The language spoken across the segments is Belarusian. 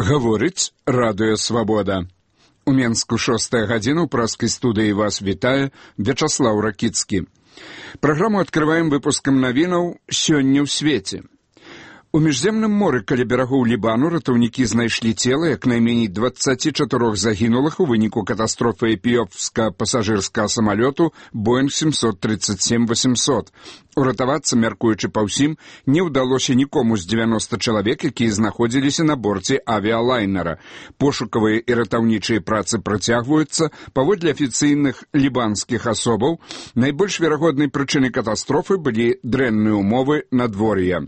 Гаворыць радыё «Свабода». У Менску 6-я гадзіна, ў праскай студыі вас вітае Вячаслаў Ракіцкі. Праграму адкрываем выпускам навінаў «Сёння ў свеце». У міжземным моры каля берагоў Лібану ратаўнікі знайшлі цела як найменей 24 загінулых у выніку катастрофы эфіопска-пасажырскага самалёту Боинг 737-800. Уратавацца, мяркуючы па ўсім, не ўдалося нікому з 90 чалавек, якія знаходзіліся на борце авіялайнера. Пошукавыя і ратаўнічыя працы працягваюцца. Паводле афіцыйных лібанскіх асобаў, найбольш верагоднай прычынай катастрофы былі дрэнныя ўмовы надвор'я.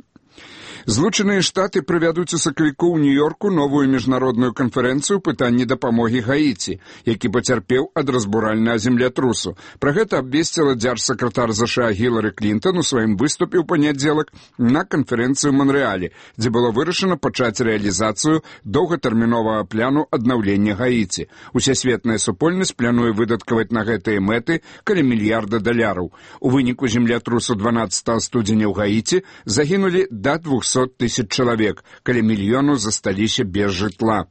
Злучаныя Штаты правядуць у сакавіку ў Нью-Йорку новую міжнародную канферэнцыю пытанні дапамогі Гаіці, які пацярпеў ад разбуральнага землятрусу. Пра гэта абвесціла дзяржсакратар ЗША Гілары Клінтон у сваім выступе ў панядзелак на канферэнцыі ў Манрэале, дзе было вырашана пачаць рэалізацыю доўгатэрміновага пляну аднаўлення Гаіці. Усесветная супольнасць плануе выдаткаваць на гэтыя мэты каля $1 мільярда. У выніку землятрусу 12 студзеня ў Гаіці загінулі да 200 тысяч чалавек, каля мільёну засталіся без жытла.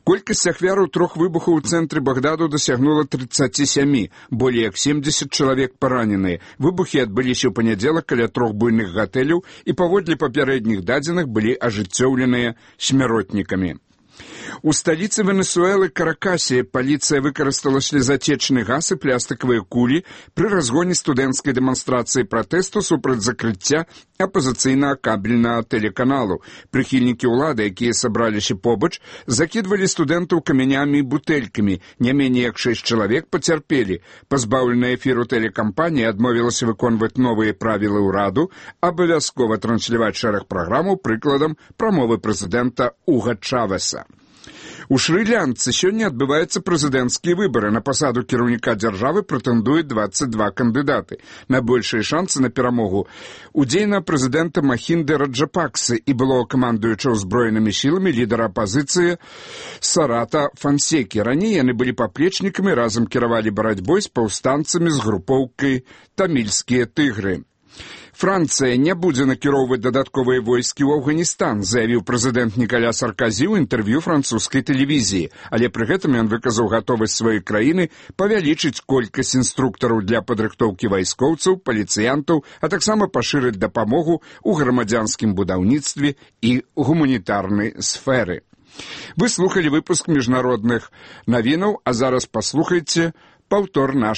Колькасць ахвяраў 3 выбухаў у цэнтры Багдаду дасягнула 37, болей як 70 чалавек параненыя. Выбухі адбыліся ў панядзелак каля 3 буйных гатэляў і паводле папярэдніх дадзеных былі ажыццёўленыя смяротнікамі. У сталіцы Венесуэлы Каракасе паліцыя выкарыстала слезатечны газ і пластыкавыя кулі пры разгоне студэнцкай дэманстрацыі пратэсту супраць закрыцця апазіцыйнага кабельнага тэлеканалу. Прыхільнікі ўлады, якія сабраліся побач, закідвалі студэнтаў камянямі і бутэлькамі. Не меней як 6 чалавек пацярпелі. Пазбаўленая эфіру тэлекампанія адмовілася выконваць новыя правілы ўраду, абавязкова трансляваць шэраг праграмаў прыкладам прамовы прэзідэнта Уга Чавеса. У Шры-Лянцы сёння адбываюцца прэзідэнцкія выбары. На пасаду кіраўніка дзяржавы прэтэндуюць 22 кандыдаты. Найбольшыя шансы на перамогу у дзейнага прэзідэнта Махінды Раджапаксы і былога камандуючага ўзброенымі сіламі лідара апазіцыі Сарата Фансекі. Раней яны былі паплечнікамі, разам кіравалі барацьбой з паўстанцамі з групоўкай «Тамільскія тыгры». Францыя не будзе накіроўваць дадатковыя войскі ў Афганістан, заявіў прэзідэнт Нікаля Сарказі ў інтэрв'ю французскай тэлевізіі. Але пры гэтым ён выказаў гатовасць сваёй краіны павялічыць колькасць інструктараў для падрыхтоўкі вайскоўцаў, паліцыянтаў, а таксама пашырыць дапамогу ў грамадзянскім будаўніцтве і гуманітарнай сферы. Вы слухалі выпуск міжнародных навінаў, а зараз паслухайце паўтор нашай